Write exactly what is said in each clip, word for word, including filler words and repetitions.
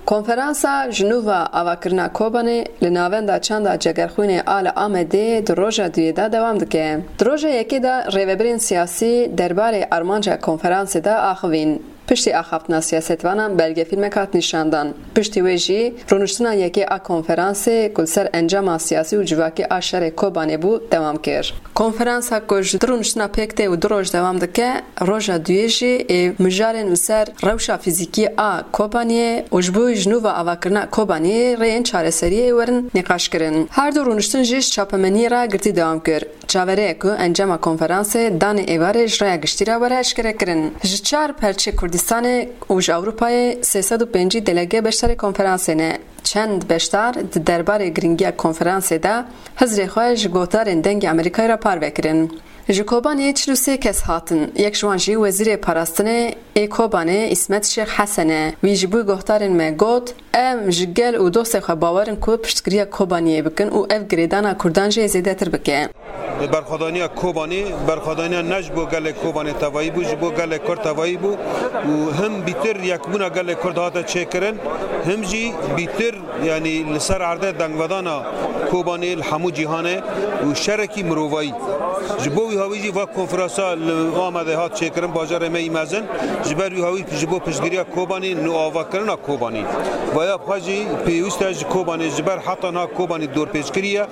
Konferansa ji nû ve avakirina Kobanê li Navenda Çanda Cegerxwînê a li Amedê di roja duyê de dewam dike. Di roja yekê de rêvebirên siyasî derbarê armanca konferansê de axivîn. Piştî axaftina siyasetvanan belgefîlmek hat nîşandan. Piştî wê jî rûniştina yekê a konferansê ku li ser encama siyasî û civakî a şerê Kobanê bû, dewam kir. Konferansa ku ji du rûniştina pêk tê û du roj dewam dike, roja duyê jî ê mijarên li ser rewşa fîzîkî a Kobaniyê û ji bo ji nû ve avakirina Kobaniyê rêyên çareseriyê ê werin nîqaşkirin. Her du rûniştin jî ji çapemeniyê re girtî dewam kir. Çaverê ye ku encama konferansê danê êvarê ji rêya giştî re were eşkerekirin. Ji çar perçê Kurdistanê û ji Ewropayê sê sed û pêncî delege beşdarê konferansê ne. Çend beşdar di derbarê girîngiya konferansê de hizrê xwe ji guhdarên Dengê Amerîkayê re parve kirin. Ji Kobanê çil û sê kes hatin. Yek ji wan jî Wezîrê Parastinê ê Kobanê Îsmet Şêx Hesen e. Wî ji bo guhdarên me got, Em ji gel û dostê xwe bawer in ku piştgiriya Kobaniyê bikin û ev girêdana Kurdan jî zêdetir bike. Berxwedaniya Kobanê, berxwedaniya ne ji bo gelê Kobanê tevayî bû, ji bo gelê Kurd tevayî bû û him bîtir yekbûna gelê Kurd hate çêkirin, him jî bîtir, yanî li ser erdê dengvedana Kobanê li hemû cîhanê û şerekî mirovayî. Ji bo wî hawî jî va konferansa li Amedê hat çêkirin, bajarê me yî mezin, ji ber wî hawî ji bo piştgiriya Kobanê, nûavakirina Kobanê. Vaya bi xwe jî pêwîst e ji Kobanê, ji ber heta niha Kobanê dorpêçkirî ye.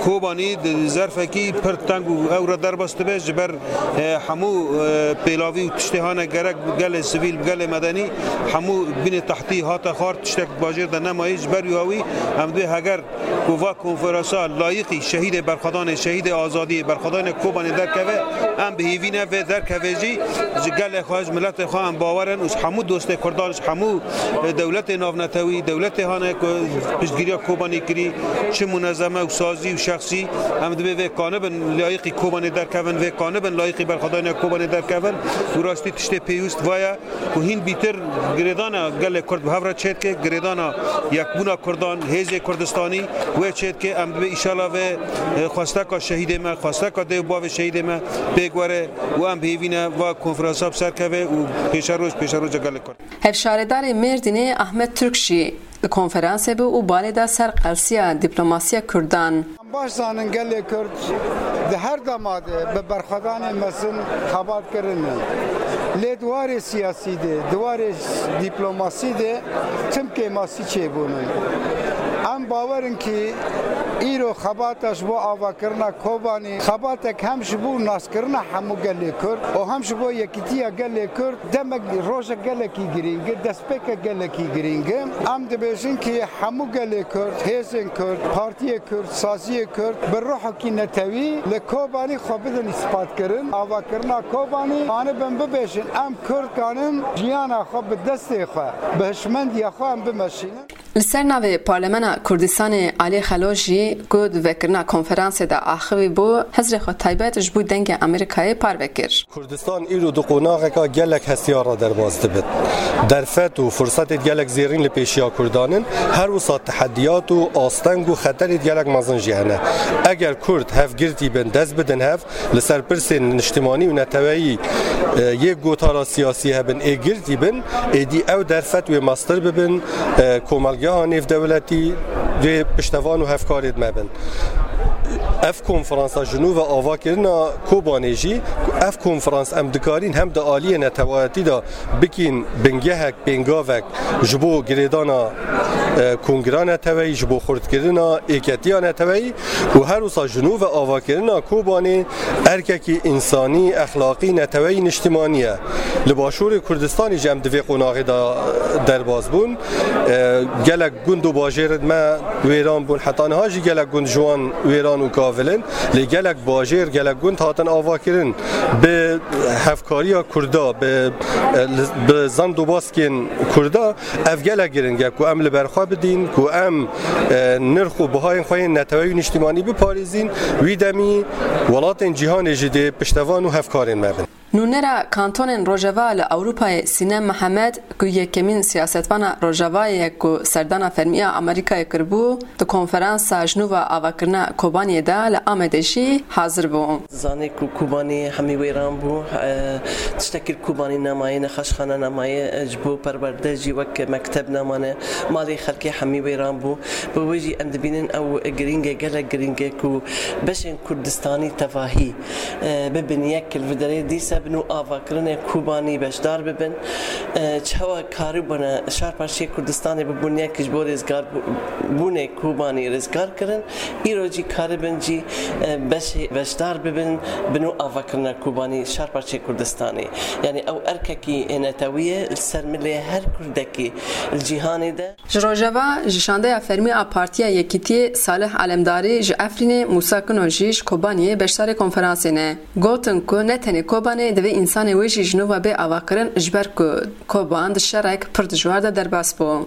Kobanî di zerfekî pir teng û ew re derbas dibe ji ber, e, hemû, e, pêlavî û tiştê hane gerek gelê sivîl, gelê medenî, hemû binê tehtî hate xwar, tiştek di bajêr de nemayî. Ji ber wî hawî em dibê heger ku va konferansa layiqî şehîdê berxwedanê, şehîdê azadiyê, berxwedanê Kobanê derkeve, em bi hêvî ne vê derkeve jî ji gelê xwe, ji miletê xwe em bawer in û ji hemû dostê Kurdan, ji hemû, e, dewletê navnetewî, dewletê hane ku piştgiriya Kobanê kirî, çi munezeme û sazî û şexsî, em dibê vê kanibin layîqî Kobanê derkevin, vê kanibin layîqî berxwedaniya Kobanê derkevin û rastî tiştê pêwîst va ye ku hîn bîtir girêdana gelê Kurd bi hev re çêdike, girêdana yekbûna Kurdan, hêzê Kurdistanî wê çêdike. Em dibê îşala vê, e, xwesteka şehîdê me, xwesteka dê û bavê şehîdê me pêk were û em bi hêvî ne va konferansa bi ser keve û pêşeroj, pêşeroja gelê Kurd. Hevşaredarê Mêrdînê Ahmet Türk jî di konferansê bû û balê da ser qelsiya diplomasiya Kurdan. Em baş zanin gelê Kurd di her dema de bi berxwedanê mezin xebat kirine. Lê di warê siyasî de, di warê diplomasî de tim kêmasî çêbûne. Em bawer in kî îro xebata ji bo avakirina Kobanê, xebatek hem ji bo naskirina hemû gelê Kurd û hem ji bo yekîtiya gelê Kurd demek, rojek gelekî girîng e, destpêkek gelekî girîng e. Em dibêjin kî hemû gelê Kurd, hêzên Kurd, partiyê Kurd, saziyê Kurd bi ruhekî netewî li Kobanî xwe bidin îspat kirin. Avakirina Kobanî anibin bibêjin, em Kurd kanin jiyana xwe bi destê xwe, bi hişmendiya xwe em bimeşînin. Li ser navê Parlemena Kurdistanê Alî Xelo jî ku di vekirina konferansê de axivî bû, hizrê xwe taybet ji bo Dengê Amerîkayê parve kir. Kurdistan îro di qonaxeka gelek hestiyar re derbas dibit. Derfet û firsetê gelek zêrîn li pêşiya Kurdan in, her wisa tehediyat û asteng û xeterêt gelek mezin jî hene. Eger Kurd hevgirtî bin, dest bidin hev, li ser pirsên niştimanî û neteweyî, e, yê gotara siyasî hebin, ê girtî bin, êdî ew derfet wê mestir bibin, e, komelgeha nêvdewletî, wê piştevan û hevkarêt me bin. Ev konferansa ji nû ve avakirina Kobanê jî, ev konferans em dikarîn hem di aliyê netewayetî de bikîn bingehek, pêngavek ji bo girêdana, e, kongira neteweyî, ji bo xurtkirina êketiya neteweyî û her wisa ji nû ve avakirina Kobanê erkekî însanî, exlaqî, neteweyî, niştimanî ye. Li Başûrê Kurdistanê jî em di vê qonaxê de derbas bûn. E, gelek gund û bajêr me wêran bûn. Heta niha jî gelek gund ji wan wêran û kavil in. Lê gelek bajêr, gelek gund hatin avakirin. Bi hevkariya Kurda, bi, e, li, bi zand û baskên Kurda ev gelek giring e ku em li ber xwe bidîn, ku em, e, nirx û bihayên xwe yên neteweyî û niştimanî biparêzîn. Wî demî welatên cîhanê jî dê piştevan û hevkarên me bin. Nûnera kantonên Rojava li Ewropayê Sînem Mihemed, ku yekemîn siyasetvana Rojavayê ye ku serdana fermî ya Amerîkayê kiribû, di konferansa ji nû ve avakirina Kobaniyê de li Amedê jî hazir bû. Zanê ku Kobanî hemî wêran bû, e, tiştekî li Kobanî nemaye, nexweşxane nemaye, e, ji bo perwerde jî wek mekteb nemane, malê xelkê hemî wêran bû. Bi wê jî em dibînin ew girîng e, gelek girîng e ku beşên Kurdistanî tevahî, e, bibin yek li vê derê, dîsa bi nû avakirinê Kobanî beşdar bibin. E, çawa karibûne şar parçeyê Kurdistanê bibûn yek ji bo rêzgar bû-, bûnê Kobanî rêzgar kirin, îro jî karibin jî, e, beşê-, beşdar bibin bi nû avakirina Kobanî şar parçeyê Kurdistanê. Yanî ew erkekî netewî ye li ser milê her Kurdekî li cîhanê de. Ji Rojava, ji şandeya fermî a Partiya Yekîtiyê Salih Alemdarî, ji Efrînê Mûsa Kino jî ji Kobaniyê beşdarê konferansê ne. Gotin ku ne tenê Kobanê divê însanê wê jî ji nû ve bê avakirin, ji ber ku Koban di şerek pir dijwar de derbas bû.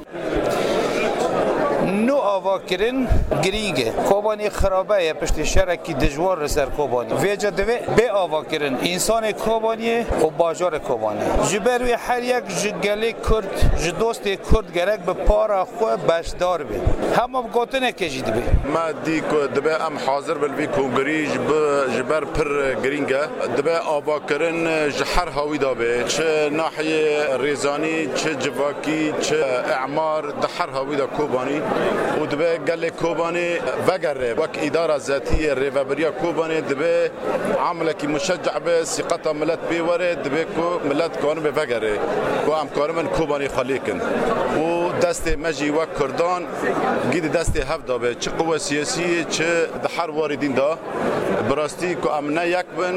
Nû avakirin girîng e. Kobanî xirabe ye piştî şerekî dijwar li ser Kobanî. Vêca divê bê avakirin însanê Kobaniyê û bajarê Kobanê. Ji ber wê her yek ji gelê Kurd, ji dostê Kurd gerek bi para xwe beşdar be. Hema bi gotinekê jî dibe. Me dî ku dibe em hazir bin vî kongrî ji bi-, ji ber pir girîng e. Dibe avakirin ji her hawî de be. Çi nahiyê rêzanî, çi civakî, çi emar, di her hawî de Kobanî. Û dibe gelê Kobanî vegere. Wek îdara zetî yê rêvebiriya Kobanê dibe Amelekî muşecce be, sîqeta milet pê were, dibe ku milet karibe vegere, ku em karibin Kobanê xwe lêkin. Û destê me jî wek Kurdan gî di destê hev de be, çi quwe siyasî ye, çi di her warî din de. Bi rastî ku em ne yek bin,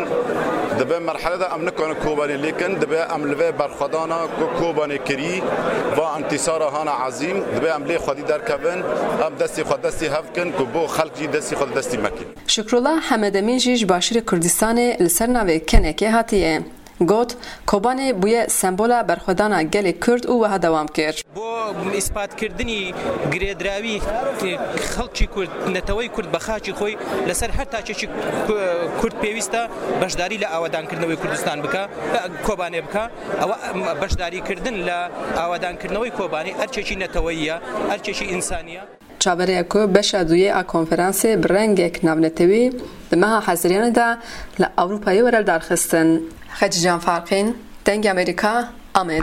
di vê merhele de em nikarin Kobanê lêkin, dibe em li vê berxwedana ku Kobanê kirî, va entîsara hana ezîm, dibe em lê xwedî derkevin, em destê xwe destê hev kin ku bo xelk jî destê xwe destê me kin. Şikrullah Hemedemîn jî ji başûrê Kurdistanê li ser navê Kenekê hatiye. Got, Kobanê bûye sembola berxwedana gelê Kurd û wiha dewam kir. Bo îspatkirdinî girêdirawî xelkî Kurd, neteweyî Kurd bi xakî xwe li ser her taçekî Kurd pêwîst e beşdarî li awedankirinê wê Kurdistan bike, Kobanê bike. Ew beşdarîkirdin li awedankirinê wê Kobanê erkekî neteweyî ye, erkekî însanî ye. Çaverê ye ku beşa duyê a konferansê bi rengek navnetewî di meha Hezîranê de li Ewropayê were lidarxistin. Xecîcan Farqîn, Dengê Amerîka, Amed.